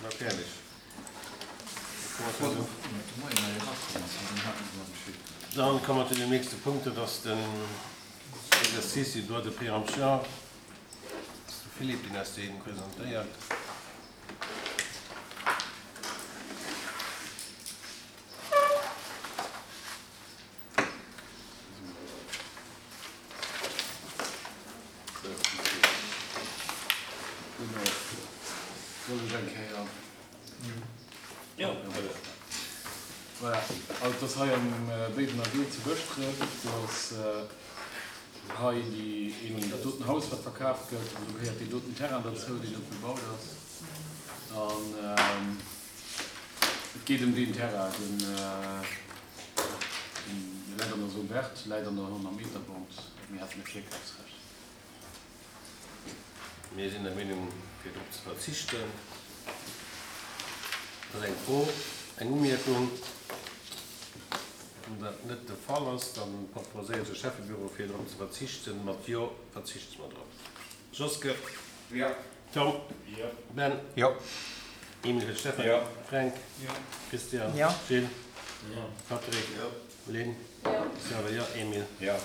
Na fäerdeg. Dann komme mer zu dem nächste Punkt, dat ass den Exercice du droit de préemption. Dat ass de Philippe, deen eis dee presentéiert. Soll ech eng Kéier? Jo. Voilà, also et ass hei am Béiwener Wee zu Bëschdref. Do ass hei déi een, dat doten Haus, wat verkaaft gëtt, an do gehéiert deen doten Terrain derzou, deen do bebaut ass. An et geet ëm deen Terrain, deen läit an der Zone verte, läit an der 100 Meter Bande. Mir hätten e Virkafsrecht. Mir sinn der Meenung, fir drop ze verzichten. Dat ass eng Fro, eng Umierkung. Wann dat net de Fall ass, da proposéiert de Schäffebüro, fir drop ze verzichten. Mat Jo verzichte mer drop. Joske? Jo. Tom? Jo. Ben? Jo. Emil fir Stefan? Jo. Fränk? Jo. Christian? Jo. Gilles? Jo. Patrick? Jo. Lynn? Jo. Xaver? Jo. Emil? Jo.